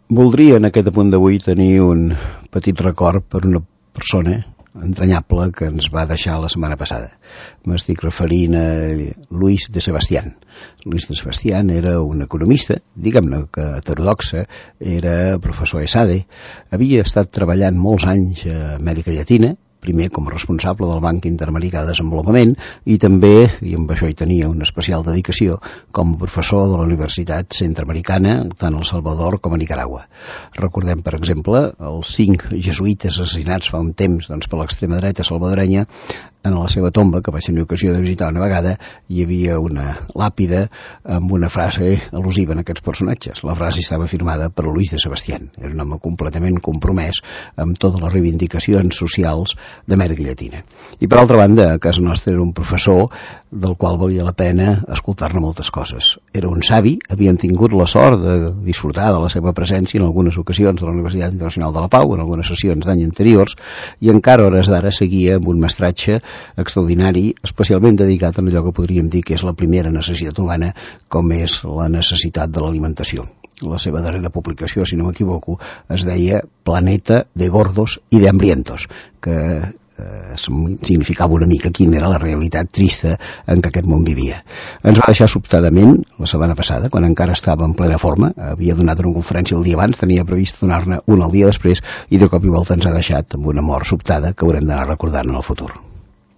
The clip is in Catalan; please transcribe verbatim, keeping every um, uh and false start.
Voldria en aquest apunt d'avui tenir un petit record per una persona entranyable que ens va deixar la setmana passada. M'estic referint a Luis de Sebastián. Luis de Sebastián era un economista, diguem-ne que heterodoxa, era professor a ESADE, havia estat treballant molts anys a Amèrica Llatina, primer com a responsable del Banc Interamericà de Desenvolupament i també, i amb això hi tenia una especial dedicació, com a professor de la Universitat Centroamericana, tant a El Salvador com a Nicaragua. Recordem, per exemple, els cinc jesuïtes assassinats fa un temps doncs, per l'extrema dreta salvadorenya. En la seva tomba, que vaig tenir ocasió de visitar una vegada, hi havia una làpida amb una frase al·lusiva en aquests personatges. La frase estava firmada per Luis de Sebastián. Era un home completament compromès amb totes les reivindicacions socials d'Amèrica Llatina. I per altra banda, a casa nostra era un professor del qual valia la pena escoltar-ne moltes coses. Era un savi, havien tingut la sort de disfrutar de la seva presència en algunes ocasions de la Universitat Internacional de la Pau, en algunes sessions d'any anteriors, i encara a hores d'ara seguia amb un mestratge extraordinari, especialment dedicat a allò que podríem dir que és la primera necessitat humana, com és la necessitat de l'alimentació. La seva darrera publicació, si no m'equivoco, es deia Planeta de gordos y de hambrientos, que eh, significava una mica quina era la realitat trista en què aquest món vivia. Ens va deixar sobtadament la setmana passada, quan encara estava en plena forma, havia donat una conferència el dia abans, tenia previst donar-ne una el dia després, i de cop i volta ens ha deixat amb una mort sobtada que haurem d'anar recordant en el futur.